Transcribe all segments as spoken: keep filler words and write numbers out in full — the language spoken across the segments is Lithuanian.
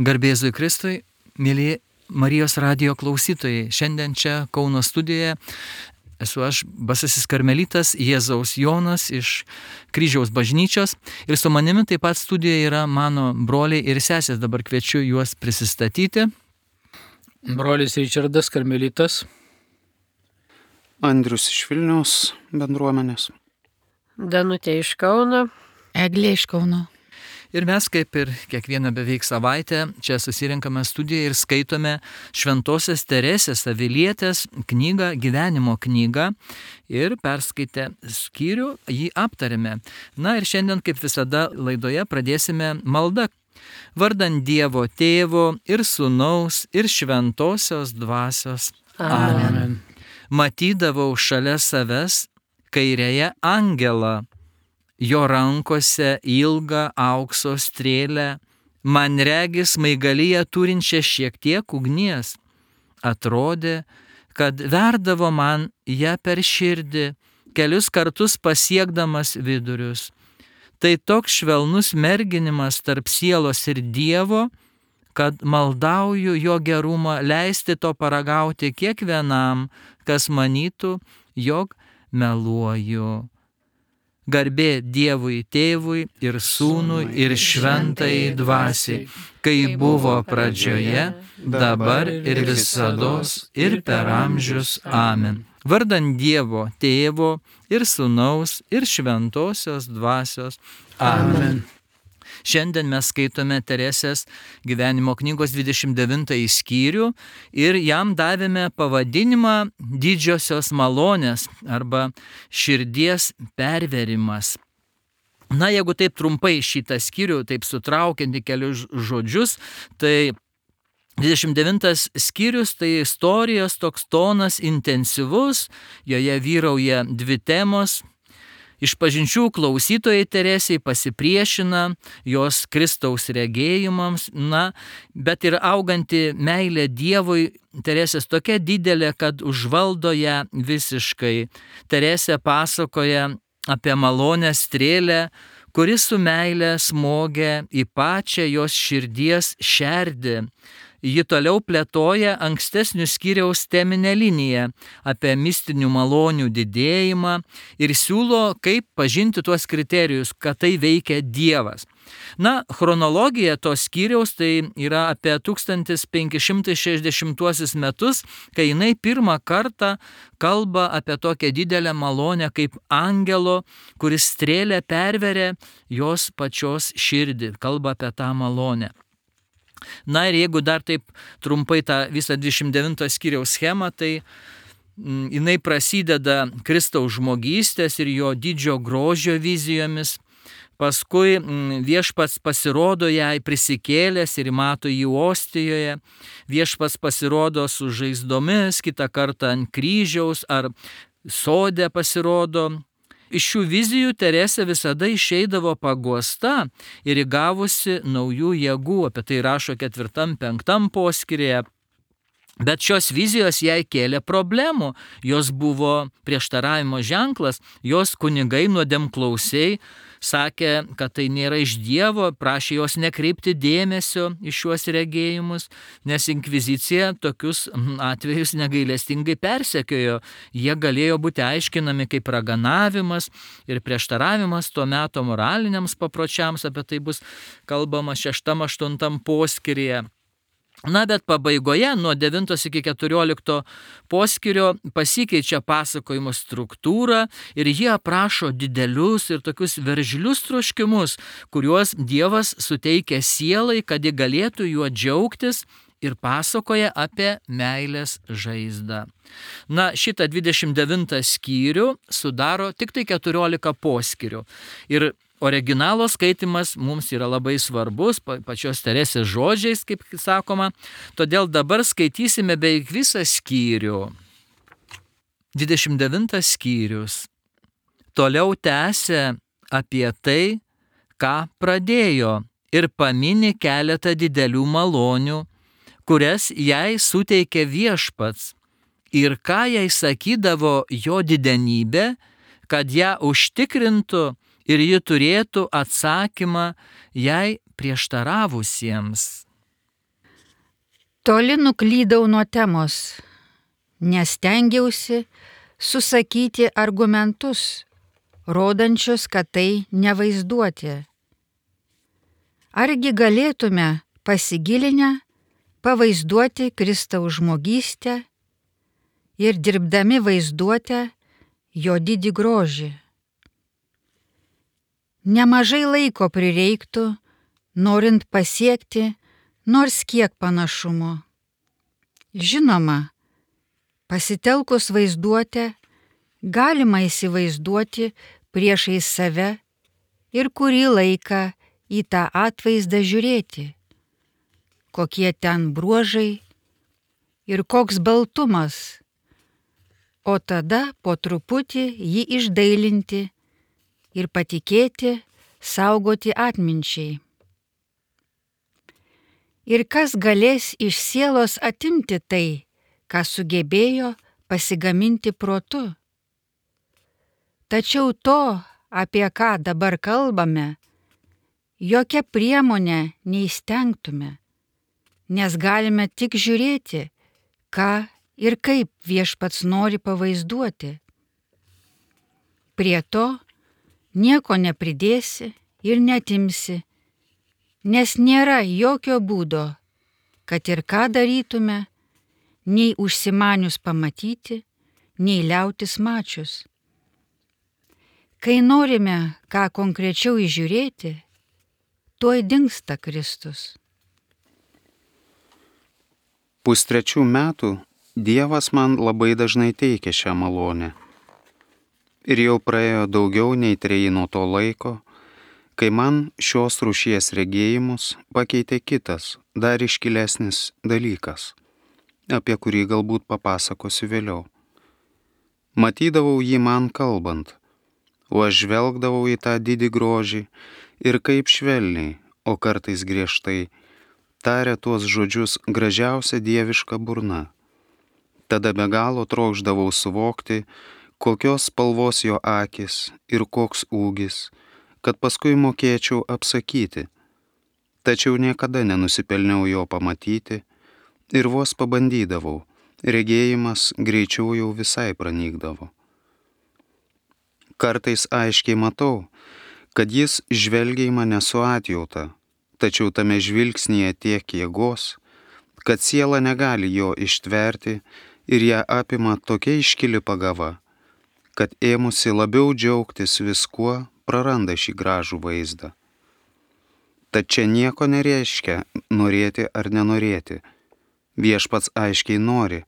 Garbė Jėzui Kristui, mėly Marijos radijo klausytojai. Šiandien čia Kauno studijoje esu aš, basasis karmelitas Jėzaus Jonas iš Kryžiaus bažnyčios. Ir su manimi taip pat studijoje yra mano broliai ir sesės. Dabar kviečiu juos prisistatyti. Brolis Ričardas karmelitas. Andrius iš Vilniaus bendruomenės. Danutė iš Kauno. Eglė iš Kauno. Ir mes, kaip ir kiekvieną beveik savaitę, čia susirinkame studiją ir skaitome Šventosios Teresės Avilietės knygą, gyvenimo knygą. Ir perskaitę skyrių jį aptarėme. Na ir šiandien, kaip visada, laidoje pradėsime maldą. Vardant Dievo Tėvo ir Sūnaus ir Šventosios Dvasios. Amen. Amen. Matydavau šalia savęs kairėje angelą. Jo rankose ilgą aukso strėlę, man regis smaigalyje turinčią šiek tiek ugnies. Atrodė, kad verdavo man ją per širdį, kelius kartus pasiekdamas vidurius. Tai toks švelnus merginimas tarp sielos ir Dievo, kad maldauju jo gerumą leisti to paragauti kiekvienam, kas manytų, jog meluoju. Garbė Dievui Tėvui ir Sūnui ir Šventajai Dvasiai, kai buvo pradžioje, dabar ir visados ir per amžius. Amen. Vardant Dievo Tėvo ir Sūnaus ir Šventosios Dvasios. Amen. Šiandien mes skaitome Teresės gyvenimo knygos dvidešimt devintąjį skyrių ir jam davėme pavadinimą Didžiosios malonės arba širdies perverimas. Na, jeigu taip trumpai šitą skyrių, taip sutraukiant į kelius žodžius, tai dvidešimt devintas skyrius tai istorijos toks tonas intensyvus, joje vyrauja dvi temos. Išpažinčių klausytojai Teresei pasipriešina jos Kristaus regėjimams, na, bet ir auganti meilė Dievui Teresės tokia didelė, kad užvaldo ją visiškai. Teresė pasakoja apie malonę strėlę, kuri su meilė smogia į pačią jos širdies šerdį. Ji toliau plėtoja ankstesnių skyriaus teminę liniją apie mistinių malonių didėjimą ir siūlo, kaip pažinti tuos kriterijus, kad tai veikia Dievas. Na, chronologija tos skyriaus tai yra apie tūkstantis penki šimtai šešiasdešimtuosius metus, kai jinai pirmą kartą kalba apie tokią didelę malonę kaip angelo, kuris strėlę perveria jos pačios širdį, kalba apie tą malonę. Na ir jeigu dar taip trumpai tą visą dvidešimt devinto skyriaus schemą, tai mm, jinai prasideda Kristaus žmogystės ir jo didžio grožio vizijomis. Paskui mm, viešpats pasirodo jai prisikėlęs ir mato jį Ostijoje. Viešpats pasirodo su žaizdomis, kitą kartą ant kryžiaus ar sode pasirodo. Iš šių vizijų Teresė visada išeidavo paguosta ir įgavusi naujų jėgų, apie tai rašo ketvirtam, penktam poskyryje. Bet šios vizijos jai kėlė problemų, jos buvo prieštaravimo ženklas, jos kunigai nuodėmklausiai sakė, kad tai nėra iš Dievo, prašė jos nekreipti dėmesio į šiuos regėjimus, nes inkvizicija tokius atvejus negailestingai persekiojo. Jie galėjo būti aiškinami kaip raganavimas ir prieštaravimas tuo meto moraliniams papročiams, apie tai bus kalbama šeštam, aštuntam poskyryje. Na, bet pabaigoje nuo devintos iki keturiolikto poskyrio pasikeičia pasakojimo struktūra ir jie aprašo didelius ir tokius veržlius troškimus, kuriuos Dievas suteikia sielai, kad ji galėtų juo džiaugtis ir pasakoja apie meilės žaizdą. Na, šitą dvidešimt devintą skyrių sudaro tik tai keturiolika poskyrių. Ir originalo skaitimas mums yra labai svarbus, pačios Teresės žodžiais, kaip sakoma, todėl dabar skaitysime beveik visą skyrių. dvidešimt devintas skyrius. Toliau tęsia apie tai, ką pradėjo ir pamini keletą didelių malonių, kurias jai suteikė viešpats ir ką jai sakydavo jo didenybė, kad ją užtikrintų ir ji turėtų atsakymą jai prieštaravusiems. Toli nuklydau nuo temos, nes stengiausi susakyti argumentus, rodančius, kad tai nevaizduoti. Argi galėtume pasigilinę pavaizduoti Kristaus žmogystę ir dirbdami vaizduotę jo didį grožį. Nemažai laiko prireiktų, norint pasiekti nors kiek panašumo. Žinoma, pasitelkus vaizduotę galima įsivaizduoti priešais save ir kurį laiką į tą atvaizdą žiūrėti, kokie ten bruožai ir koks baltumas, o tada po truputį jį išdailinti ir patikėti saugoti atminčiai. Ir kas galės iš sielos atimti tai, ką sugebėjo pasigaminti protu? Tačiau to, apie ką dabar kalbame, jokia priemonė neįstengtume, nes galime tik žiūrėti, ką ir kaip Viešpats nori pavaizduoti. Prie to nieko nepridėsi ir netimsi, nes nėra jokio būdo, kad ir ką darytume, nei užsimanius pamatyti, nei liautis mačius. Kai norime ką konkrečiau įžiūrėti, tuoj dingsta Kristus. Pustrečių metų Dievas man labai dažnai teikia šią malonę. Ir jau praėjo daugiau nei treji nuo to laiko, kai man šios rūšies regėjimus pakeitė kitas, dar iškilesnis dalykas, apie kurį galbūt papasakosiu vėliau. Matydavau jį man kalbant, o aš žvelgdavau į tą didį grožį ir kaip švelniai, o kartais griežtai, tarė tuos žodžius gražiausia dieviška burna. Tada be galo trokšdavau suvokti, kokios spalvos jo akis ir koks ūgis, kad paskui mokėčiau apsakyti. Tačiau niekada nenusipelniau jo pamatyti ir vos pabandydavau, regėjimas greičiau jau visai pranykdavo. Kartais aiškiai matau, kad jis žvelgia į mane su atjauta, tačiau tame žvilgsnyje tiek jėgos, kad siela negali jo ištverti ir ją apima tokia iškili pagava, kad ėmusi labiau džiaugtis viskuo, praranda šį gražų vaizdą. Tad čia nieko nereiškia norėti ar nenorėti. Viešpats aiškiai nori,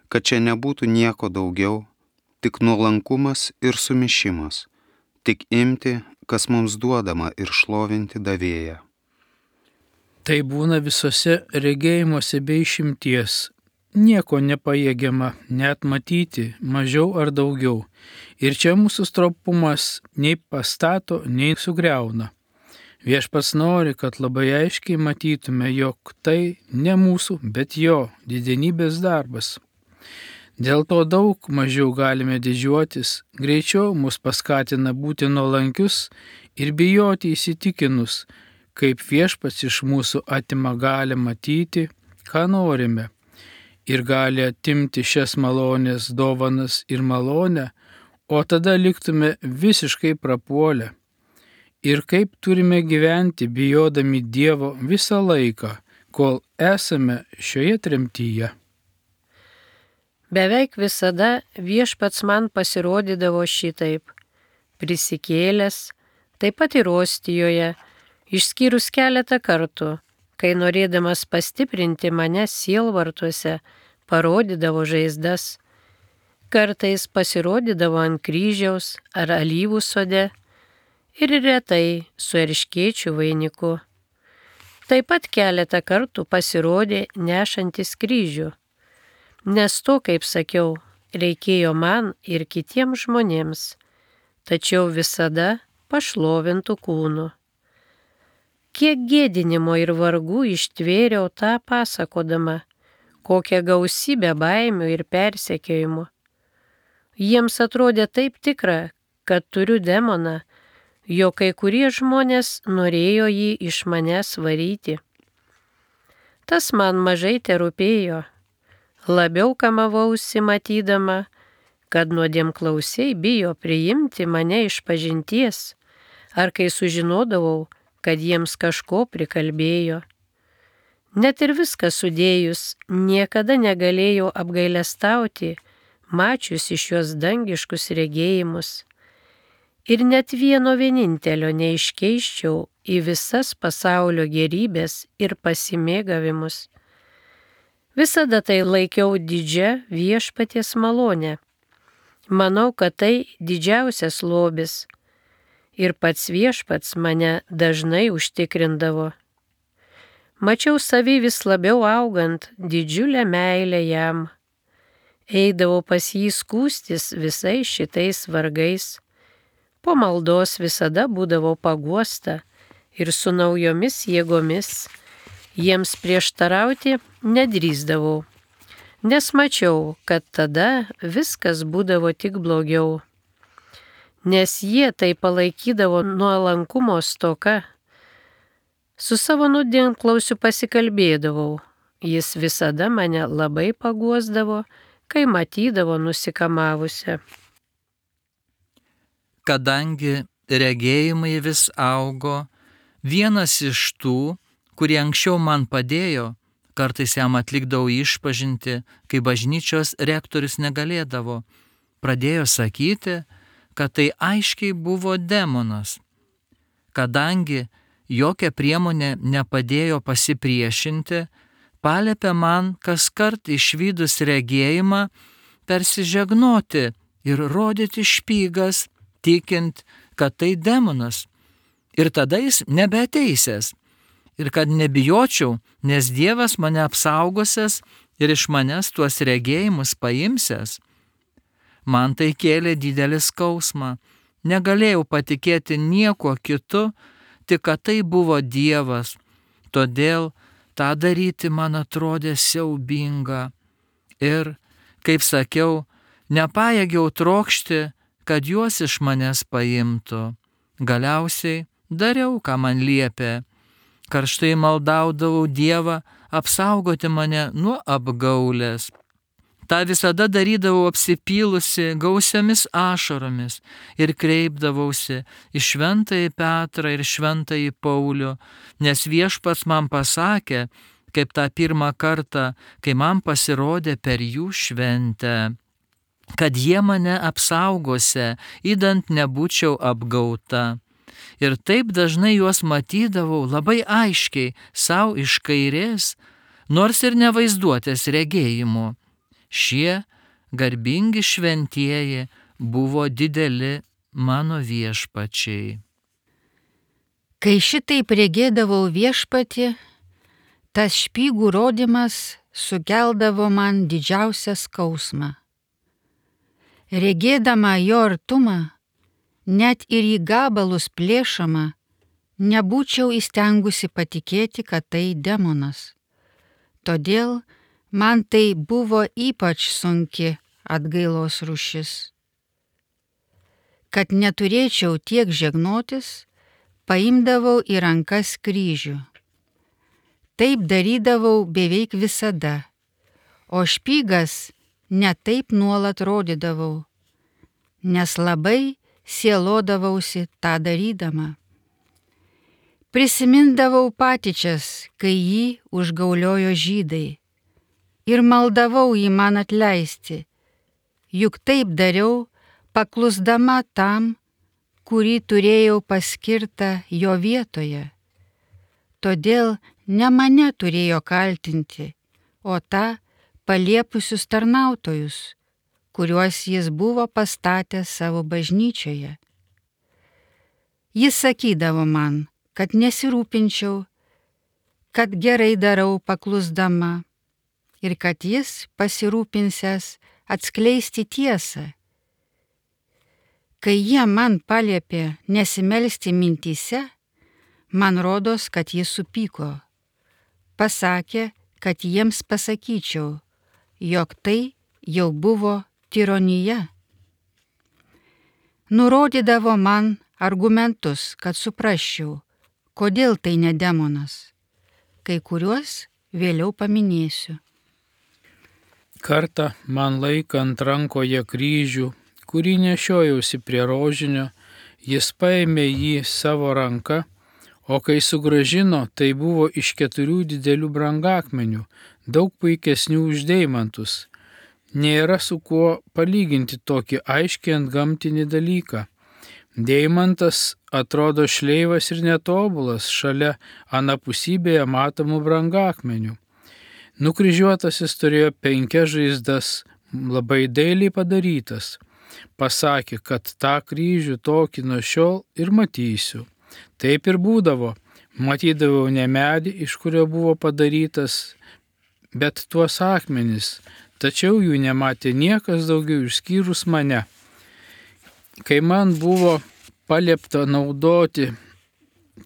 kad čia nebūtų nieko daugiau, tik nuolankumas ir sumišimas, tik imti, kas mums duodama ir šlovinti davėją. Tai būna visose regėjimuose be išimties. Nieko nepajėgiama net matyti, mažiau ar daugiau. Ir čia mūsų stropumas nei pastato, nei sugriauna. Viešpats nori, kad labai aiškiai matytume, jog tai ne mūsų, bet jo didenybės darbas. Dėl to daug mažiau galime didžiuotis, greičiau mus paskatina būti nuolankius ir bijoti įsitikinus, kaip Viešpats iš mūsų atima galią matyti, ką norime, ir gali atimti šias malonės dovanas ir malonę, o tada liktume visiškai prapuolę. Ir kaip turime gyventi bijodami Dievo visą laiką, kol esame šioje tremtyje. Beveik visada Viešpats man pasirodydavo šitaip, prisikėlęs, taip pat ir Ostijoje, išskyrus keletą kartų, kai norėdamas pastiprinti mane sielvartuose, parodydavo žaizdas. Kartais pasirodydavo ant kryžiaus ar alyvų sode ir retai su erškėčių vainiku. Taip pat keletą kartų pasirodė nešantis kryžių, nes to, kaip sakiau, reikėjo man ir kitiems žmonėms, tačiau visada pašlovintų kūnu. Kiek gėdinimo ir vargų ištvėriau tą pasakodama, kokią gausybę baimių ir persekiojimų. Jiems atrodė taip tikra, kad turiu demoną, jo kai kurie žmonės norėjo jį iš manęs varyti. tas man mažai terūpėjo. Labiau kamavausi matydama, kad nuodėmklausiai bijo priimti mane iš pažinties, ar kai sužinodavau, kad jiems kažko prikalbėjo. Net ir viską sudėjus, niekada negalėjau apgailestauti, mačiusi šios dangiškus regėjimus. Ir net vieno vienintelio neiškeiščiau į visas pasaulio gerybės ir pasimėgavimus. Visada tai laikiau didžia viešpaties malonė. Manau, kad tai didžiausias lobis. Ir pats viešpats mane dažnai užtikrindavo. Mačiau savį vis labiau augant didžiulę meilę jam. Eidavau pas jį skūstis visais šitais vargais. Po maldos visada būdavau paguosta ir su naujomis jėgomis. Jiems prieštarauti nedrįsdavau, nes mačiau, kad tada viskas būdavo tik blogiau. Nes jie tai palaikydavo nuolankumo stoka. Su savo nuodėmklausiu pasikalbėdavau. Jis visada mane labai paguosdavo, kai matydavo nusikamavusią. Kadangi regėjimai vis augo, vienas iš tų, kurie anksčiau man padėjo, kartais jam atlikdavau išpažinti, kai bažnyčios rektorius negalėdavo, pradėjo sakyti, kad tai aiškiai buvo demonas. Kadangi jokia priemonė nepadėjo pasipriešinti, paliepė man kaskart išvydus regėjimą persižegnoti ir rodyti špygas, tikint, kad tai demonas. Ir tada jis nebeateisės. Ir kad nebijočiau, nes Dievas mane apsaugosias ir iš manęs tuos regėjimus paimsias. Man tai kėlė didelį skausmą. Negalėjau patikėti niekuo kitu, tik kad tai buvo Dievas. Todėl tą daryti man atrodė siaubinga. Ir, kaip sakiau, nepajėgiau trokšti, kad juos iš manęs paimtų. Galiausiai dariau, ką man liepė. Karštai maldaudavau Dievą apsaugoti mane nuo apgaulės. Ta visada darydavau apsipylusi gausiamis ašaromis ir kreipdavausi į šventąjį Petrą ir šventąjį Paulių, nes viešpats man pasakė, kaip tą pirmą kartą, kai man pasirodė per jų šventę, kad jie mane apsaugose, idant nebūčiau apgauta. Ir taip dažnai juos matydavau labai aiškiai savo iš kairės, nors ir nevaizduotės regėjimų. Šie garbingi šventieji buvo dideli mano viešpačiai. Kai šitaip regėdavau viešpatį, tas špygų rodymas sukeldavo man didžiausią skausmą. Regėdama jo artumą, net ir į gabalus plėšama, nebūčiau įstengusi patikėti, kad tai demonas. Todėl man tai buvo ypač sunki atgailos rūšis. Kad neturėčiau tiek žegnotis, paimdavau į rankas kryžių. Taip darydavau beveik visada, o špygas netaip nuolat rodydavau, nes labai sielodavausi tą darydama. Prisimindavau patyčias, kai jį užgauliojo žydai, ir maldavau jį man atleisti, juk taip dariau, paklusdama tam, kurį turėjau paskirtą jo vietoje. Todėl ne mane turėjo kaltinti, o tą paliepusius tarnautojus, kuriuos jis buvo pastatęs savo bažnyčioje. Jis sakydavo man, kad nesirūpinčiau, kad gerai darau paklusdama ir kad jis pasirūpinsęs atskleisti tiesą. Kai jie man paliepė nesimelsti mintyse, man rodos, kad jis supyko. Pasakė, kad jiems pasakyčiau, jog tai jau buvo tironija. Nurodydavo man argumentus, kad suprasčiau, kodėl tai ne demonas. Kai kuriuos vėliau paminėsiu. Kartą man laikant rankoje kryžių, kurį nešiojausi prie rožinio, jis paėmė jį savo ranką, o kai sugrąžino, tai buvo iš keturių didelių brangakmenių, daug puikesnių už deimantus. Nėra su kuo palyginti tokį aiškiai antgamtinį dalyką. Deimantas atrodo šleivas ir netobulas šalia anapusybėje matomų brangakmenių. Nukryžiuotasis turėjo penkias žaizdas, labai dailiai padarytas. Pasakė, kad tą kryžių tokį nuo šiol ir matysiu. Taip ir būdavo. Matydavau ne medį, iš kurio buvo padarytas, bet tuos akmenis, tačiau jų nematė niekas daugiau išskyrus mane. Kai man buvo paliepta naudoti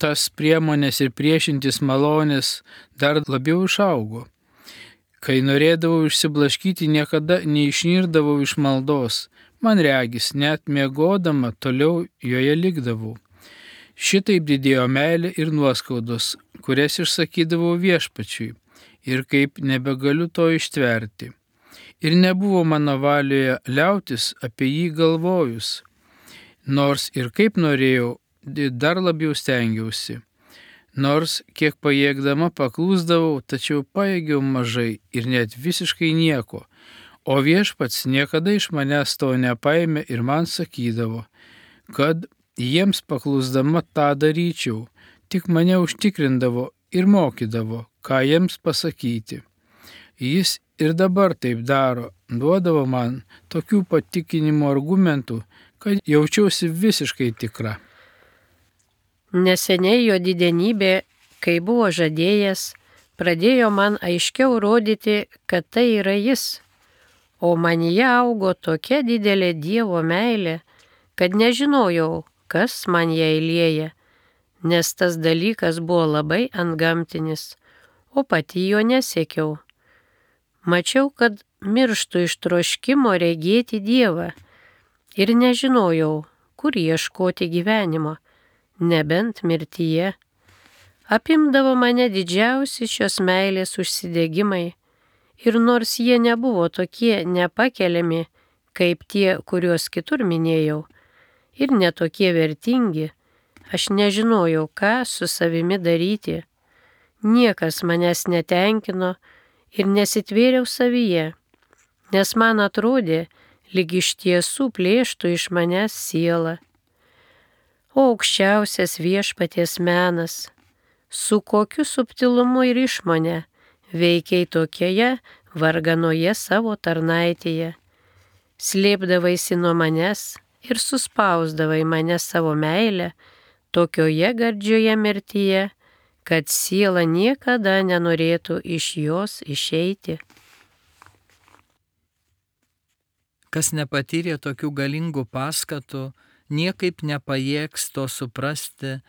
tas priemonės ir priešintis malonės, dar labiau išaugo. Kai norėdavau išsiblaškyti, niekada neišnirdavau iš maldos. Man regis, net miegodama toliau joje likdavau. Šitaip didėjo meilė ir nuoskaudos, kurias išsakydavau viešpačiui, ir kaip nebegaliu to ištverti. Ir nebuvo mano valioje liautis apie jį galvojus, nors ir kaip norėjau, dar labiau stengiausi. Nors kiek pajėgdama paklūsdavau, tačiau pajėgiau mažai ir net visiškai nieko, o viešpats niekada iš manęs to nepaėmė ir man sakydavo, kad jiems paklūsdama tą daryčiau, tik mane užtikrindavo ir mokydavo, ką jiems pasakyti. Jis ir dabar taip daro, duodavo man tokių patikinimo argumentų, kad jaučiausi visiškai tikra. Neseniai jo didenybė, kai buvo žadėjęs, pradėjo man aiškiau rodyti, kad tai yra jis, o manyje augo tokia didelė Dievo meilė, kad nežinojau, kas man ją įlieja, nes tas dalykas buvo labai antgamtinis, o pati jo nesiekiau. Mačiau, kad mirštu iš troškimo regėti Dievą ir nežinojau, kur ieškoti gyvenimo, nebent mirtyje. Apimdavo mane didžiausi šios meilės užsidegimai ir nors jie nebuvo tokie nepakeliami, kaip tie, kuriuos kitur minėjau, ir netokie vertingi, aš nežinojau, ką su savimi daryti. Niekas manęs netenkino ir nesitvėriau savyje, nes man atrodė, lyg iš tiesų plėštų iš manęs sielą. O aukščiausias viešpaties menas, su kokiu subtilumu ir išmone veikiai tokioje varganoje savo tarnaitėje. Slėpdavaisi nuo manęs ir suspausdavai mane savo meilę tokioje gardžioje mirtyje, kad siela niekada nenorėtų iš jos išeiti. Kas nepatyrė tokių galingų paskatų, niekaip nepajėgs to suprasti,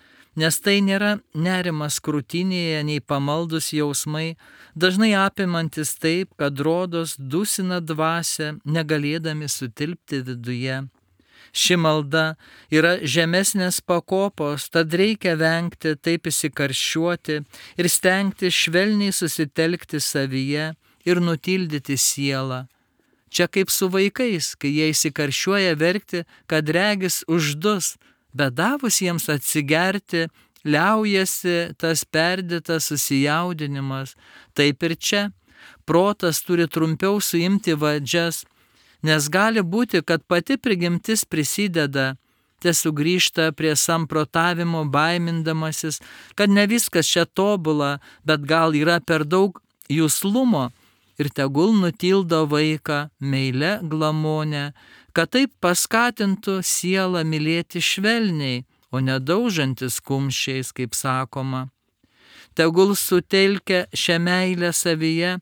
nes tai nėra nerimas krūtinėje, nei pamaldus jausmai, dažnai apimantis taip, kad rodos dusina dvasią, negalėdami sutilpti viduje. Ši malda yra žemesnės pakopos, tad reikia vengti taip įsikarščiuoti ir stengti švelniai susitelkti savyje ir nutildyti sielą. Čia kaip su vaikais, kai jie įsikarščiuoja verkti, kad regis uždus, bet davus jiems atsigerti, liaujasi tas perdėtas susijaudinimas. Taip ir čia. Protas turi trumpiau suimti vadžias, nes gali būti, kad pati prigimtis prisideda, tesugrįžta prie samprotavimo baimindamasis, kad ne viskas čia tobula, bet gal yra per daug juslumo ir tegul nutildo vaiką meile glamonę, kad taip paskatintų sielą mylėti švelniai, o nedaužantis kumščiais, kaip sakoma. Tegul sutelkia šią meilę savyje,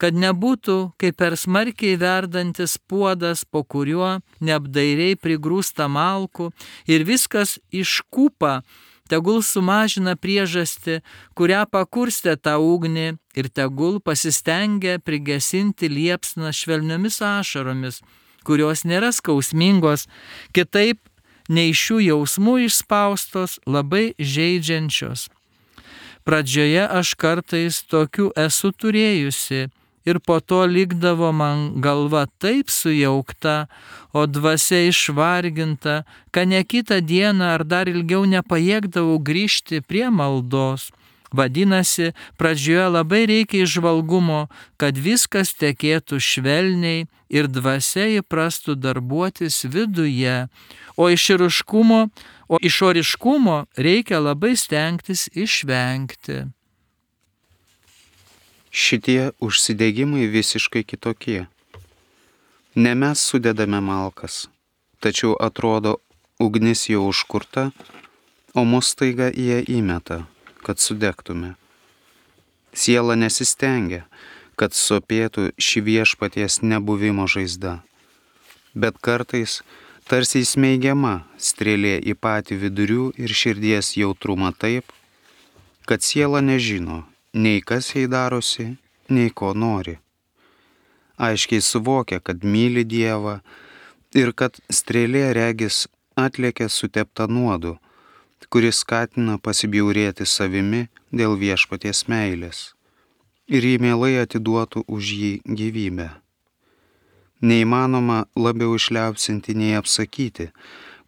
kad nebūtų kaip per smarkiai verdantis puodas, po kuriuo neapdairiai prigrūsta malkų ir viskas iškūpa, tegul sumažina priežastį, kurią pakurstė tą ugnį ir tegul pasistengia prigesinti liepsną švelniomis ašaromis, kurios nėra skausmingos, kitaip nei šių jausmų išspaustos, labai žeidžiančios. Pradžioje aš kartais tokių esu turėjusi ir po to likdavo man galva taip sujaukta, o dvasia išvarginta, kad ne kitą dieną ar dar ilgiau nepajėgdavau grįžti prie maldos. Vadinasi, pradžioje labai reikia įžvalgumo, kad viskas tekėtų švelniai ir dvasia įprastų darbuotis viduje, o išoriškumo, o išoriškumo reikia labai stengtis išvengti. Šitie užsidegimai visiškai kitokie. Ne mes sudedame malkas, tačiau atrodo ugnis jau užkurta, o mus staiga jie įmeta, kad sudegtume. Siela nesistengia, kad sopėtų ši viešpaties nebuvimo žaizda, bet kartais tarsi įsmeigiama strėlė į patį vidurių ir širdies jautrumą taip, kad siela nežino, nei kas jai darosi, nei ko nori. Aiškiai suvokia, kad myli Dievą ir kad strėlė regis atlėkia sutepta nuodu, kuris skatina pasibjaurėti savimi dėl viešpaties meilės ir jį mielai atiduotų už jį gyvybę. Neįmanoma labiau išliaupsinti nei apsakyti,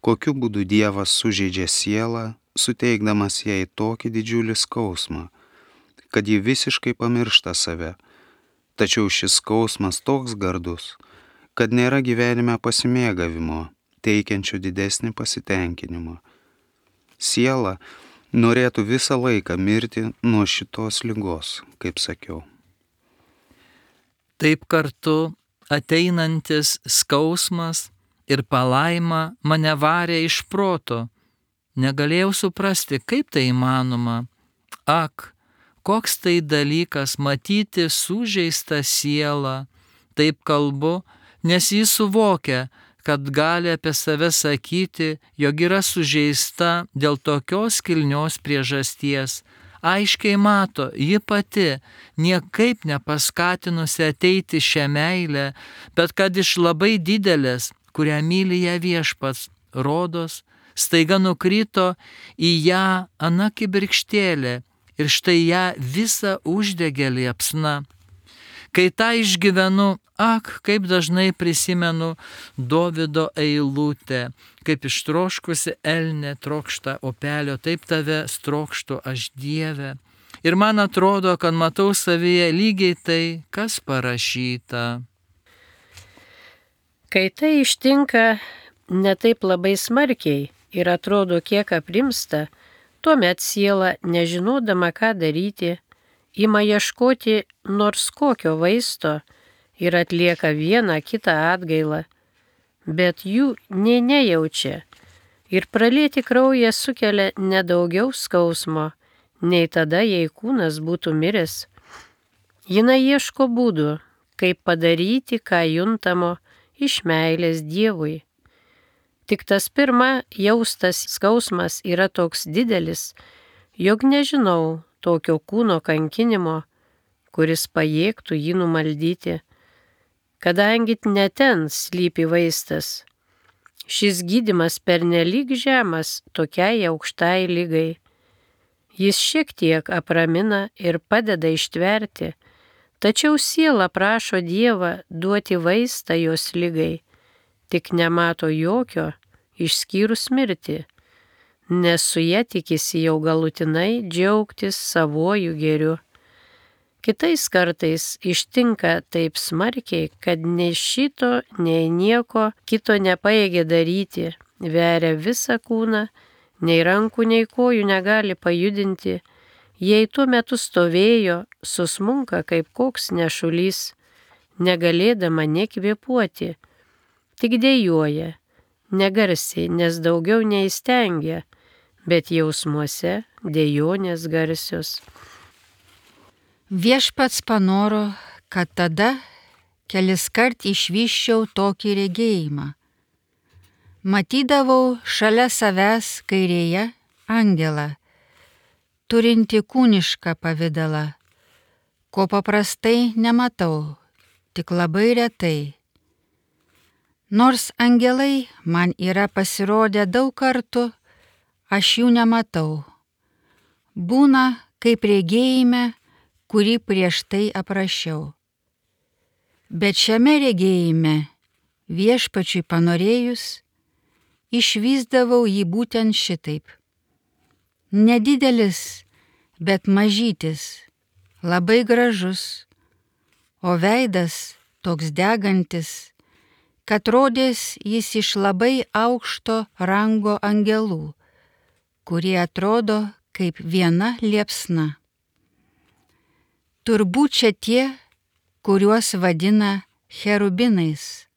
kokiu būdu Dievas sužeidžia sielą, suteikdamas jai tokį didžiulį skausmą, kad ji visiškai pamiršta save, tačiau šis skausmas toks gardus, kad nėra gyvenime pasimėgavimo, teikiančio didesnį pasitenkinimą. Siela norėtų visą laiką mirti nuo šitos ligos, kaip sakiau. Taip kartu ateinantis skausmas ir palaima mane varė iš proto. Negalėjau suprasti, kaip tai įmanoma. Ak, koks tai dalykas matyti sužeistą sielą. Taip kalbu, nes jis suvokia, kad gali apie save sakyti, jog yra sužeista dėl tokios kilnios priežasties. Aiškiai mato, ji pati, niekaip nepaskatinusi ateiti šią meilę, bet kad iš labai didelės, kurią myli ją viešpats, rodos, staiga nukrito į ją ana kibirkštėlė ir štai ją visą uždegė liepsna. Kai tą išgyvenu, ak, kaip dažnai prisimenu Dovydo eilutę, kaip ištroškusi elnė trokšta upelio, taip tave trokštu aš Dieve. Ir man atrodo, kad matau savyje lygiai tai, kas parašyta. Kai tai ištinka ne taip labai smarkiai ir atrodo kiek aprimsta, tuomet siela, nežinodama ką daryti, ima ieškoti nors kokio vaisto ir atlieka vieną kitą atgailą, bet jų nei nejaučia ir pralieti kraują sukelia nedaugiau skausmo, nei tada, jei kūnas būtų miręs. Jina ieško būdų, kaip padaryti, ką juntamo iš meilės Dievui. Tik tas pirma jaustas skausmas yra toks didelis, jog nežinau tokio kūno kankinimo, kuris pajėgtų jį numaldyti, kadangi ne ten slypi vaistas. Šis gydymas pernelyg žemas tokiai aukštai ligai. Jis šiek tiek apramina ir padeda ištverti, tačiau siela prašo Dievą duoti vaistą jos ligai, tik nemato jokio, išskyrus mirtį, nes su ja tikisi jau galutinai džiaugtis savojų gėriu. Kitais kartais ištinka taip smarkiai, kad nei šito, nei nieko kito nepajėgia daryti, veria visą kūną, nei rankų, nei kojų negali pajudinti, jei tuo metu stovėjo, susmunka kaip koks nešulys, negalėdama nekvėpuoti, tik dejuoja, negarsiai, nes daugiau neįstengia, bet jausmuose dejonės garsios. Viešpats panoro, kad tada keliskart išvyščiau tokį regėjimą. Matydavau šalia savęs kairėje angelą, turinti kūnišką pavidalą, ko paprastai nematau, tik labai retai. Nors angelai man yra pasirodę daug kartų, aš jų nematau. Būna, kaip regėjime, kurį prieš tai aprašiau. Bet šiame regėjime viešpačiui panorėjus, išvysdavau jį būtent šitaip. Nedidelis, bet mažytis, labai gražus, o veidas toks degantis, kad rodės jis iš labai aukšto rango angelų, kurie atrodo kaip viena liepsna. Turbūt čia tie, kuriuos vadina cherubinais.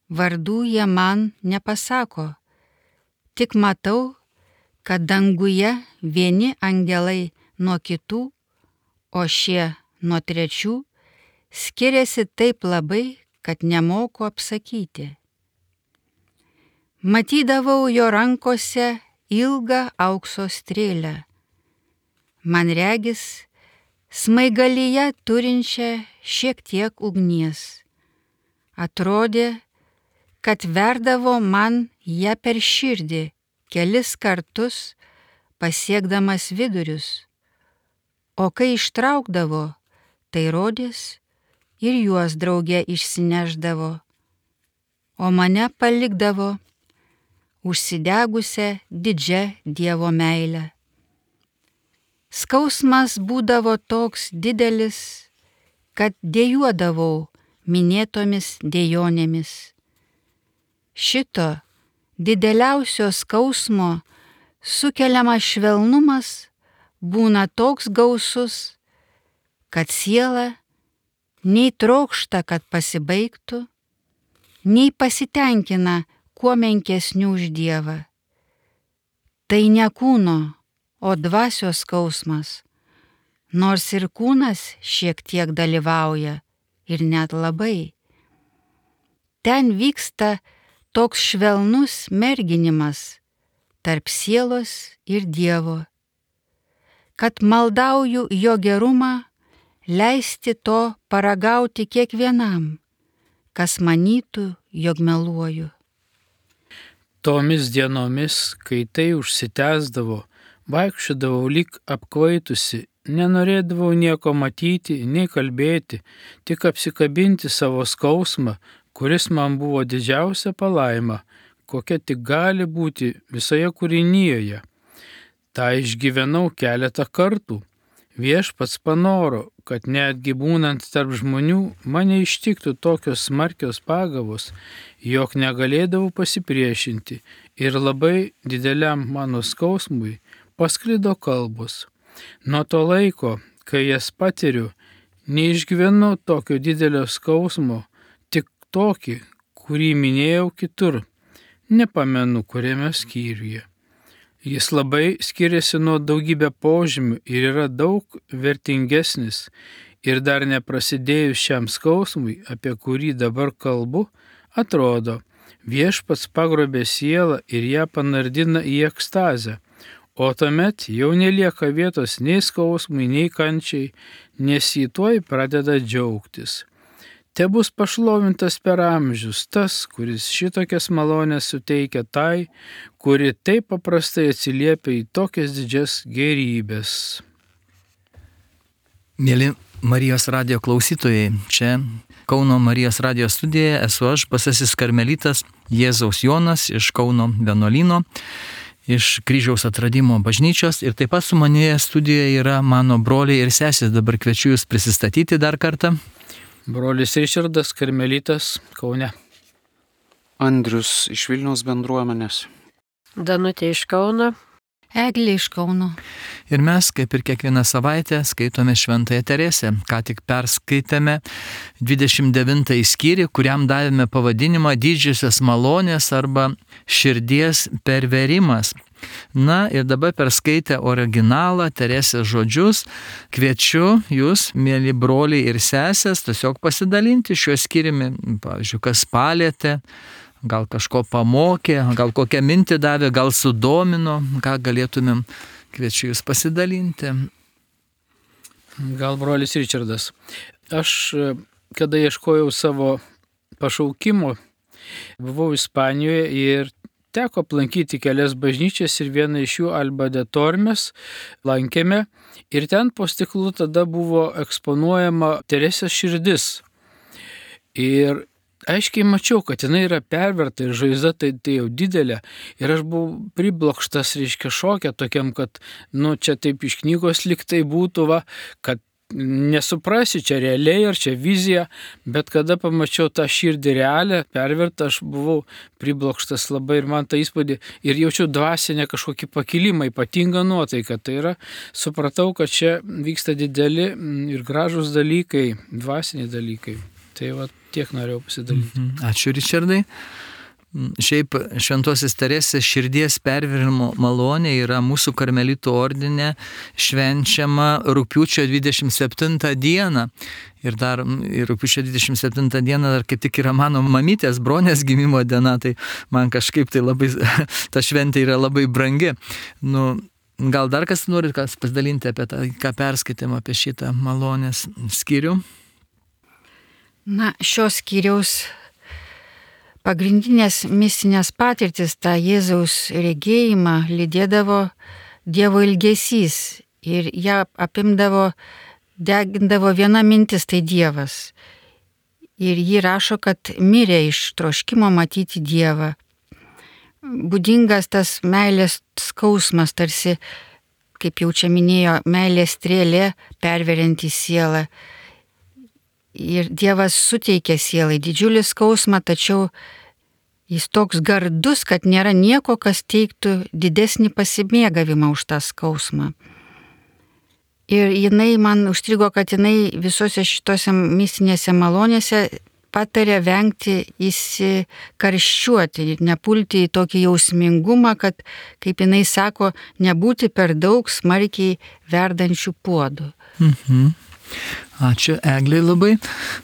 Vardų jie man nepasako, tik matau, kad danguje vieni angelai nuo kitų, o šie nuo trečių skiriasi taip labai, kad nemoku apsakyti. Matydavau jo rankose ilgą aukso strėlę. Man regis, smaigalyje turinčią šiek tiek ugnies. Atrodė, kad verdavo man ją per širdį kelis kartus pasiekdamas vidurius, o kai ištraukdavo, tai rodės ir juos drauge išsineždavo, o mane palikdavo užsidegusią didžią Dievo meilę. Skausmas būdavo toks didelis, kad dejuodavau minėtomis dejonėmis. Šito dideliausio skausmo sukeliamas švelnumas būna toks gausus, kad siela nei trokšta, kad pasibaigtų, nei pasitenkina kuo menkesnių už Dievą. Tai ne kūno, o dvasios skausmas, nors ir kūnas šiek tiek dalyvauja ir net labai. Ten vyksta toks švelnus merginimas tarp sielos ir Dievo, kad maldauju jo gerumą leisti to paragauti kiekvienam, kas manytų, jog meluoju. Tomis dienomis, kai tai užsitęsdavo, vaikščiodavau lyg apkvaitusi, nenorėdavau nieko matyti, nei kalbėti, tik apsikabinti savo skausmą, kuris man buvo didžiausia palaima, kokia tik gali būti visoje kūrinyjoje. Ta išgyvenau keletą kartų. Viešpats panoro, kad netgi būnant tarp žmonių mane ištiktų tokios smarkios pagavos, jog negalėdavau pasipriešinti ir labai dideliam mano skausmui pasklido kalbos. Nuo to laiko, kai jas patiriu, neišgyvenu tokio didelio skausmo, tik tokį, kurį minėjau kitur, nepamenu kuriame skyriuje. Jis labai skiriasi nuo daugybę požymių ir yra daug vertingesnis ir dar neprasidėjus šiam skausmui, apie kurį dabar kalbu, atrodo, viešpats pagrobė sielą ir ją panardina į ekstazę, o tuomet jau nelieka vietos nei skausmui, nei kančiai, nes jį tuoj pradeda džiaugtis. Te bus pašlovintas per amžius tas, kuris šitokias malonės suteikia tai, kuri taip paprastai atsiliepia į tokias didžias gerybės. Mėly Marijos radijo klausytojai, čia Kauno Marijos radijo studijoje esu aš, Basasis karmelitas Jėzaus Jonas iš Kauno vienuolyno, iš Kryžiaus atradimo bažnyčios, ir taip pat su manėje studijoje yra mano broliai ir sesės. Dabar kviečiu jūs prisistatyti dar kartą. Brolis Ričardas, karmelitas, Kaune. Andrius iš Vilniaus bendruomenės. Danutė iš Kauno. Eglė iš Kauno. Ir mes, kaip ir kiekvieną savaitę, skaitome Šventąją Teresę. Ką tik perskaitėme dvidešimt devintąjį skyrių, kuriam davėme pavadinimą Didžiosios malonės arba širdies perverimas. Na ir dabar perskaitę originalą Teresės žodžius, kviečiu jūs, mėly broliai ir sesės, tiesiog pasidalinti šiuo skyriumi. Pavyzdžiui, kas palėtė, gal kažko pamokė, gal kokią mintį davė, gal sudomino, ką galėtumėm, kviečiu jūs pasidalinti. Gal brolis Ričardas. Aš, kada ieškojau savo pašaukimo, buvau Ispanijoje ir teko aplankyti kelias bažnyčias ir vieną iš jų Alba de Tormes lankėme ir ten po stiklu tada buvo eksponuojama Teresės širdis. Ir aiškiai mačiau, kad jinai yra perverta ir žaizda tai, tai jau didelė. Ir aš buvau priblokštas, reiškia, šokę tokiam, kad, nu, čia taip iš knygos liktai būtų, va, kad nesuprasi, čia realiai ar čia vizija, bet kada pamačiau tą širdį realią, pervertą, aš buvau priblokštas labai ir man tą įspūdį ir jaučiu dvasinę kažkokį pakilimą, ypatingą nuotaiką. Tai yra, supratau, kad čia vyksta dideli ir gražūs dalykai, dvasiniai dalykai. Tai va, tiek norėjau pasidalyti. Ačiū, Ričardai. Šiaip Šventosios Teresės širdies perversmo malonė yra mūsų karmelitų ordine švenčiama rugpjūčio dvidešimt septintą dieną. Ir dar ir rugpjūčio dvidešimt septintą dieną dar kaip tik yra mano mamytės Bronės gimimo diena, tai man kažkaip tai labai, ta šventė yra labai brangi. Nu, gal dar kas norit kas pasidalinti apie tą, ką perskaitėm apie šitą malonės skyrių? Na, šios skyriaus pagrindinės mistinės patirtis, tą Jėzaus regėjimą lydėdavo Dievo ilgesys ir ją apimdavo, degindavo viena mintis, tai Dievas. Ir ji rašo, kad mirė iš troškimo matyti Dievą. Būdingas tas meilės skausmas, tarsi, kaip jau čia minėjo, meilės strėlė perverianti sielą. Ir Dievas suteikia sielai didžiulį skausmą, tačiau jis toks gardus, kad nėra nieko, kas teiktų didesnį pasimėgavimą už tą skausmą. Ir jinai man užstrigo, kad jinai visose šitose mistinėse malonėse patarė vengti įsikarščiuoti ir nepulti į tokį jausmingumą, kad, kaip jinai sako, nebūti per daug smarkiai verdančių puodų. Mhm. Ačiū, Egliai labai.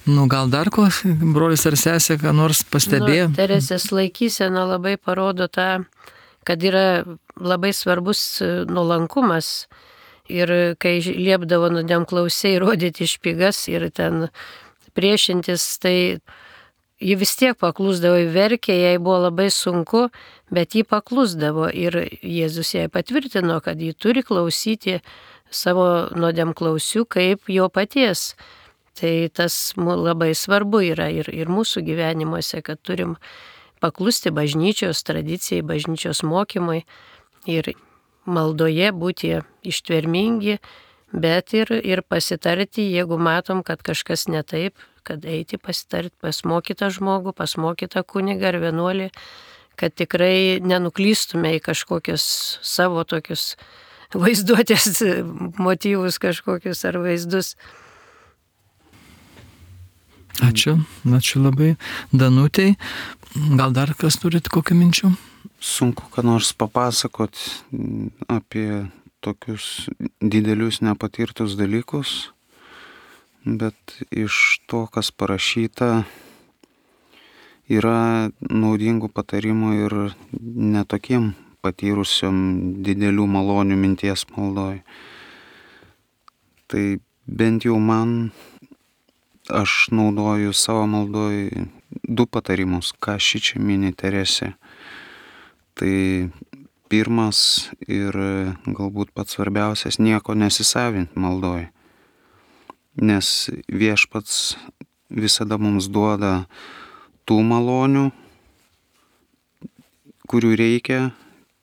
Nu, gal dar ko, brolis ar sesė, ką nors pastebėjo? Nu, Teresės laikysena labai parodo tą, kad yra labai svarbus nuolankumas. Ir kai liepdavo nuodėmklausiai rodyti špygas ir ten priešintis, tai ji vis tiek paklusdavo, verkė, jai buvo labai sunku, bet ji paklusdavo. Ir Jėzus jai patvirtino, kad ji turi klausyti savo nuodėmklausių kaip jo paties. Tai tas labai svarbu yra ir, ir mūsų gyvenimuose, kad turim paklusti bažnyčios tradicijai, bažnyčios mokymui ir maldoje būti ištvermingi, bet ir, ir pasitarti, jeigu matom, kad kažkas ne taip, kad eiti pasitarti pas mokytą žmogų, pas mokytą kunigą ar vienuolį, kad tikrai nenuklystume į kažkokius savo tokius vaizduotės motyvus kažkokius ar vaizdus. Ačiū, ačiū labai. Danutei, gal dar kas turit kokių minčių? Sunku ką nors papasakot apie tokius didelius nepatirtus dalykus, bet iš to, kas parašyta, yra naudingų patarimų ir netokiem patyrusiam didelių malonių minties maldoj. Tai bent jau man, aš naudoju savo maldoj du patarimus, ką šičia mini Teresė. Tai pirmas ir galbūt pats svarbiausias, nieko nesisavint maldoj. Nes Viešpats visada mums duoda tų malonių, kurių reikia,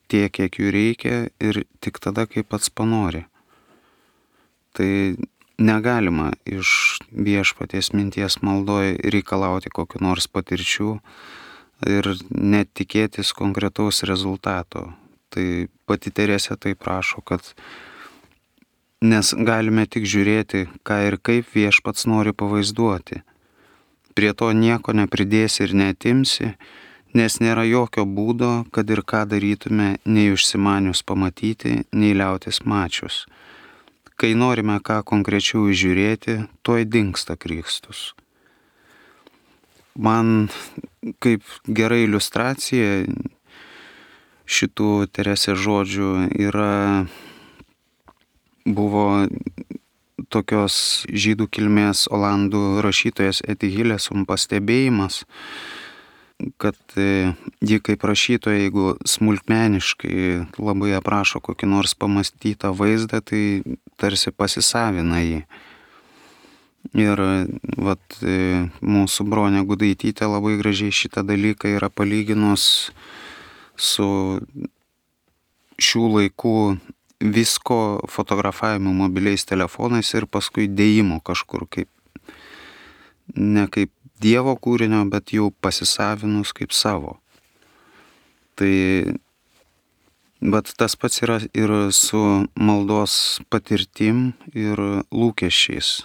tiek, kiek jų reikia ir tik tada, kai pats panori. Tai negalima iš Viešpaties minties maldoj reikalauti kokių nors patirčių ir net tikėtis konkretaus rezultato. Tai pati Teresė taip prašo, kad nes galime tik žiūrėti, ką ir kaip Viešpats nori pavaizduoti. Prie to nieko nepridėsi ir neatimsi, nes nėra jokio būdo, kad ir ką darytume, nei užsimanius pamatyti, nei liautis mačius. Kai norime ką konkrečiau įžiūrėti, tuoj dingsta Kristus. Man kaip gera iliustracija šitų Teresės žodžių yra, buvo tokios žydų kilmės olandų rašytojas Eti Hilesum pastebėjimas, kad ji kaip rašytoja, jeigu smulkmeniškai labai aprašo kokį nors pamastytą vaizdą, tai tarsi pasisavina jį. Ir vat, mūsų Bronė Gudaitytė labai gražiai šitą dalyką yra palyginus su šių laikų visko fotografavimu mobiliais telefonais ir paskui dėjimu kažkur kaip, ne kaip Dievo kūrinio, bet jau pasisavinus kaip savo. Tai, bet tas pats yra ir su maldos patirtim ir lūkesčiais.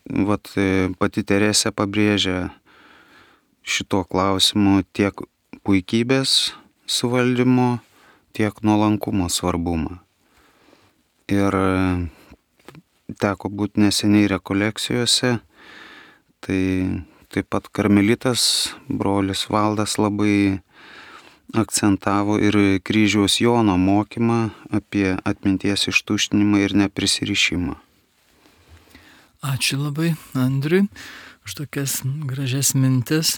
Vat pati Teresė pabrėžia šito klausimu tiek puikybės suvaldymo, tiek nuolankumo svarbumą. Ir teko būti neseniai rekolekcijose, tai taip pat karmelitas brolis Valdas labai akcentavo ir kryžiaus Jono mokymą apie atminties ištuštinimą ir neprisirišimą. Ačiū labai Andriui už tokias gražias mintis.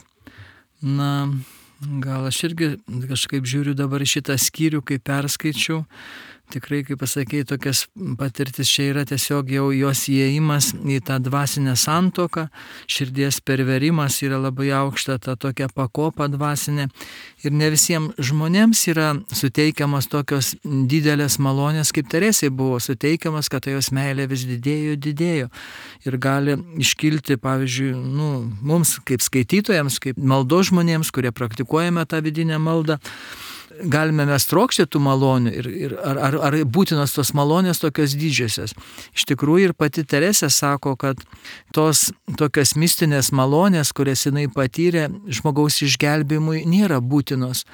Na, gal aš irgi kažkaip žiūriu dabar šitą skyrių, kai perskaičiau. Tikrai, kaip pasakėjai, tokias patirtis čia yra tiesiog jau jos įėjimas į tą dvasinę santuoką, širdies perverimas yra labai aukšta, ta tokia pakopa dvasinė. Ir ne visiems žmonėms yra suteikiamas tokios didelės malonės, kaip Teresei buvo suteikiamas, kad ta jos meilė vis didėjo, didėjo. Ir gali iškilti, pavyzdžiui, nu, mums kaip skaitytojams, kaip maldos žmonėms, kurie praktikuojame tą vidinę maldą, galime mes trokšti tų malonių ir, ir ar, ar, ar būtinos tos malonės tokios didžiosios. Iš tikrųjų ir pati Teresė sako, kad tos tokios mistinės malonės, kurias jinai patyrė žmogaus išgelbėjimui, nėra būtinos.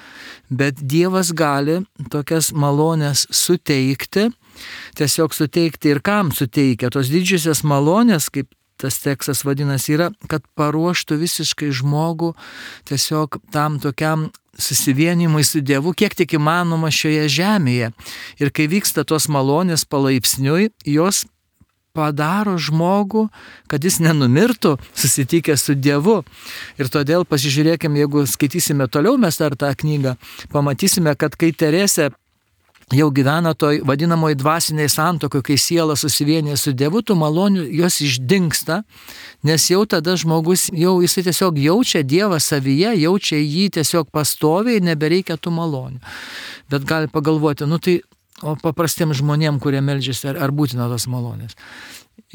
Bet Dievas gali tokias malonės suteikti, tiesiog suteikti ir kam suteikia. Tos didžiosios malonės, kaip tas tekstas vadinasi, yra, kad paruoštų visiškai žmogų tiesiog tam tokiam susivienimui su Dievu, kiek tik įmanoma šioje žemėje. Ir kai vyksta tos malonės palaipsniui, jos padaro žmogų, kad jis nenumirtų susitikęs su Dievu. Ir todėl pasižiūrėkime, jeigu skaitysime toliau mes dar tą knygą, pamatysime, kad kai Teresė jau gyvena toj vadinamoji dvasiniai santuokoj, kai siela susivienė su Dievu, tų malonių jos išdingsta, nes jau tada žmogus, jau jisai tiesiog jaučia Dievą savyje, jaučia jį tiesiog pastoviai, nebereikia tų malonių. Bet gali pagalvoti, nu tai, o paprastiems žmonėms, kurie meldžiasi, ar, ar būtina tos malonės.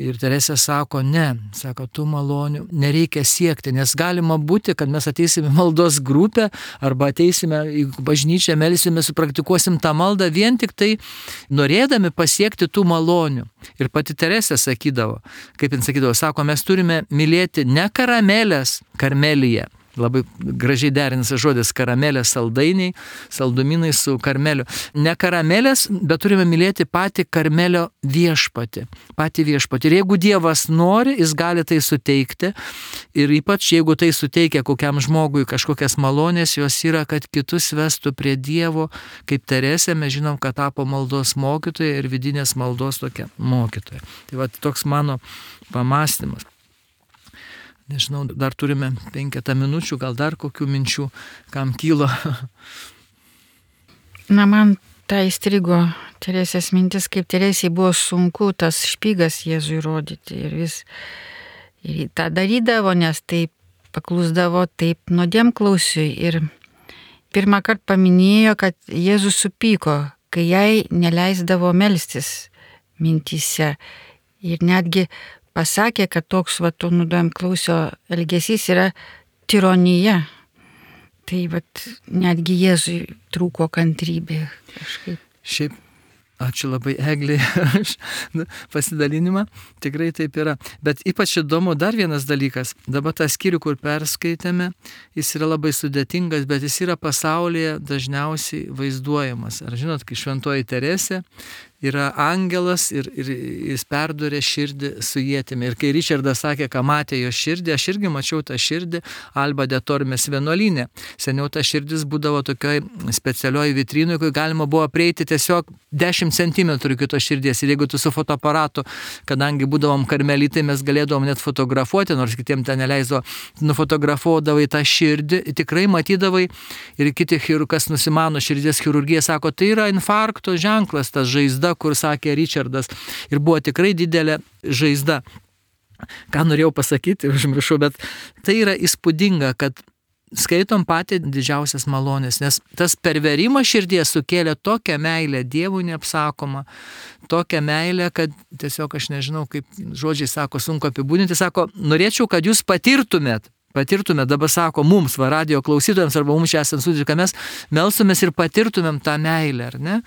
Ir Teresė sako, ne, sako, tų malonių nereikia siekti, nes galima būti, kad mes ateisime maldos grupę arba ateisime į bažnyčią, melsime, supraktikuosim tą maldą vien tik tai norėdami pasiekti tų malonių. Ir pati Teresė sakydavo, kaip jin sakydavo, sako, mes turime mylėti ne karamelės, karmelyje. Labai gražiai derinas žodis karamelės saldainiai, saldumynai su karmeliu. Ne karamelės, bet turime mylėti patį karmelio viešpatį. Patį viešpatį. Ir jeigu Dievas nori, jis gali tai suteikti. Ir ypač jeigu tai suteikia kokiam žmogui kažkokias malonės, jos yra, kad kitus vestų prie Dievo. Kaip Teresė, mes žinom, kad tapo maldos mokytoja ir vidinės maldos tokia mokytoja. Tai va toks mano pamąstymas. Nežinau, dar turime penketą minučių, gal dar kokių minčių, kam kylo. Na, man tai įstrigo Teresės mintis, kaip Teresei buvo sunku tas špygas Jėzui rodyti. Ir vis ir tą darydavo, nes taip paklusdavo taip nuodėmklausiui. Ir pirmą kartą paminėjo, kad Jėzus supyko, kai jai neleisdavo melstis mintyse. Ir netgi pasakė, kad toks va to nuodėmklausio elgesys yra tironija. Tai vat netgi Jėzui trūko kantrybė kažkaip. Šiaip, ačiū labai Eglei už pasidalinimą, tikrai taip yra. Bet ypač įdomu dar vienas dalykas. Dabar tą skyrių, kur perskaitėme, jis yra labai sudėtingas, bet jis yra pasaulyje dažniausiai vaizduojamas. Ar žinot, kai šventoji Teresė, yra angelas ir, ir jis perdurė širdį su ietimi. Ir kai Richardas sakė, ką matė jo širdį, aš irgi mačiau tą širdį Alba de Tormes vienuolyne. Seniau ta širdis būdavo tokioj specialioj vitrinui, kai galima buvo prieiti tiesiog dešimt centimetrų iki to širdies. Ir jeigu tu su fotoaparatu, kadangi būdavom karmelitai, mes galėdavom net fotografuoti, nors kitiem ten neleido, nufotografuodavai tą širdį, tikrai matydavai ir kiti chirurgas nusimano širdies chirurgija, sako, tai yra infarkto ženklas, tas žaizda, kur sakė Richardas. Ir buvo tikrai didelė žaizda. Ką norėjau pasakyti, užmiršau, bet tai yra įspūdinga, kad skaitom patį didžiausias malonės, nes tas perverimas širdies sukėlė tokią meilę Dievui neapsakomą, tokią meilę, kad tiesiog aš nežinau, kaip žodžiai sako, sunku apibūdinti, sako, norėčiau, kad jūs patirtumėt, patirtumėt, dabar sako mums, va, radio klausytojams arba mums čia esant studijai, kad mes melstumės ir patirtumėm tą meilę, ar ne?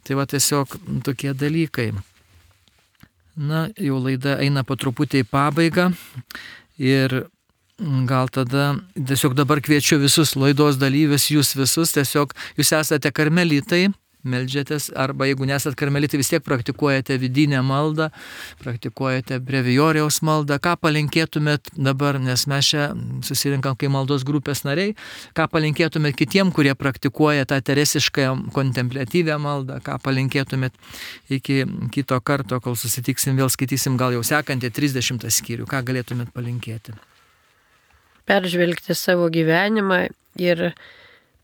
Tai va tiesiog tokie dalykai. Na, jau laida eina po truputį į pabaigą ir gal tada tiesiog dabar kviečiu visus laidos dalyvius, jūs visus, tiesiog jūs esate karmelitai, meldžiatės, arba jeigu nesat karmelitai, vis tiek praktikuojate vidinę maldą, praktikuojate brevijoriaus maldą, ką palinkėtumėt dabar, nes mes čia susirinkam kaip maldos grupės nariai, ką palinkėtumėt kitiem, kurie praktikuoja tą teresišką kontempliatyvę maldą, ką palinkėtumėt iki kito karto, kol susitiksim, vėl skaitysim gal jau sekantį trisdešimtą skyrių, ką galėtumėt palinkėti? Peržvelgti savo gyvenimą ir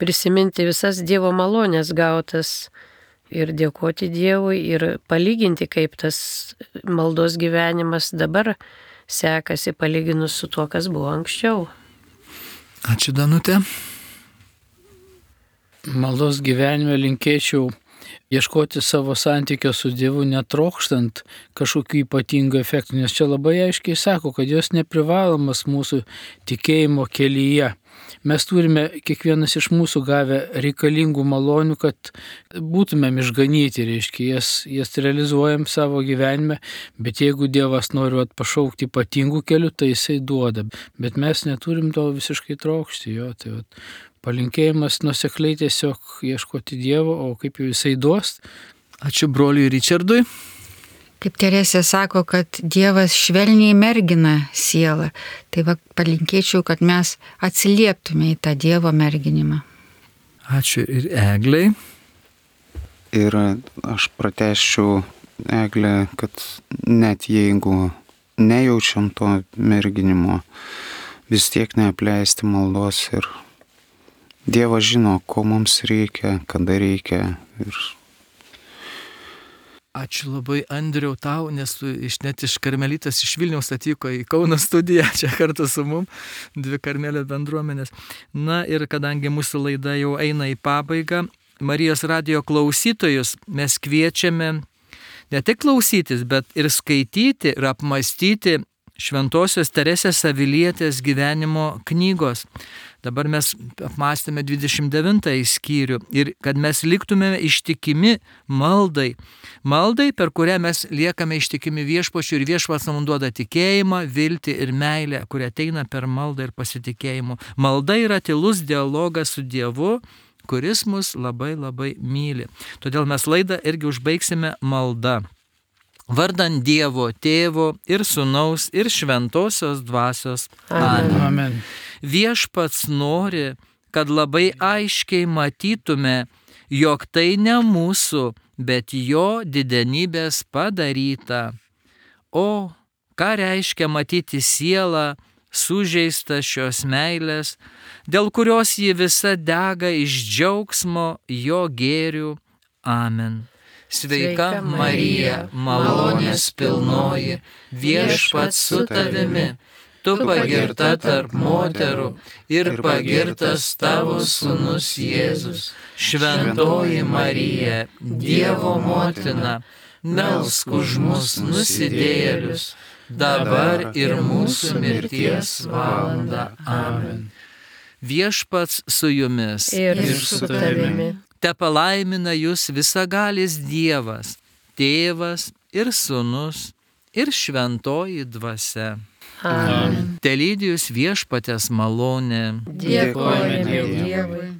prisiminti visas Dievo malonės gautas ir dėkoti Dievui ir palyginti, kaip tas maldos gyvenimas dabar sekasi palyginus su tuo, kas buvo anksčiau. Ačiū, Danutė. Maldos gyvenime linkėčiau ieškoti savo santykio su Dievu, netrokštant kažkokių ypatingų efektų, nes čia labai aiškiai sako, kad jos neprivalomas mūsų tikėjimo kelyje. Mes turime kiekvienas iš mūsų gavę reikalingų malonių, kad būtumėm išganyti, reiškia, jas, jas realizuojam savo gyvenime, bet jeigu Dievas nori pašaukti ypatingų kelių, tai jisai duoda, bet mes neturim to visiškai trokšti, jo, tai vat, palinkėjimas nuosekliai tiesiog ieškoti Dievo, o kaip jau jisai duos. Ačiū broliui Richardui. Kaip Teresė sako, kad Dievas švelniai mergina sielą, tai va, palinkėčiau, kad mes atsilieptume į tą Dievo merginimą. Ačiū ir Eglei. Ir aš pratęsčiau Eglę, kad net jeigu nejaučiam to merginimo, vis tiek neapleisti maldos ir Dievas žino, ko mums reikia, kada reikia. Ir Ačiū labai, Andriau, tau, nes tu iš, net iš karmelitas iš Vilniaus atvyko į Kauno studiją, čia kartu su mum, dvi karmelio bendruomenės. Na ir kadangi mūsų laida jau eina į pabaigą, Marijos radijo klausytojus mes kviečiame ne tik klausytis, bet ir skaityti ir apmastyti Šventosios Teresės Avilietės gyvenimo knygos. Dabar mes apmastėme dvidešimt devintąjį skyrių ir kad mes liktume ištikimi maldai. Maldai, per kurią mes liekame ištikimi viešpačiui ir viešpats mums duoda tikėjimą, viltį ir meilę, kuria ateina per maldą ir pasitikėjimu. Malda yra tylus dialogas su Dievu, kuris mus labai labai myli. Todėl mes laidą irgi užbaigsime malda. Vardant Dievo Tėvo ir Sūnaus ir Šventosios Dvasios. Amen. Amen. Viešpats nori, kad labai aiškiai matytume, jog tai ne mūsų, bet jo didenybės padaryta. O ką reiškia matyti sielą, sužeistą šios meilės, dėl kurios ji visa dega iš džiaugsmo jo gėrių. Amen. Sveika Marija, malonės pilnoji, viešpats su tavimi, tu pagirta tarp moterų ir pagirtas tavo sūnus Jėzus. Šventoji Marija, Dievo motina, melsk už mus nusidėjėlius, dabar ir mūsų mirties valanda. Amen. Viešpats su jumis Ir su tavimi. Te palaimina jūs visagalis Dievas, Tėvas ir Sūnus ir Šventoji Dvasia. Amen. Telydijus viešpatės malonė. Dėkojame Dievui.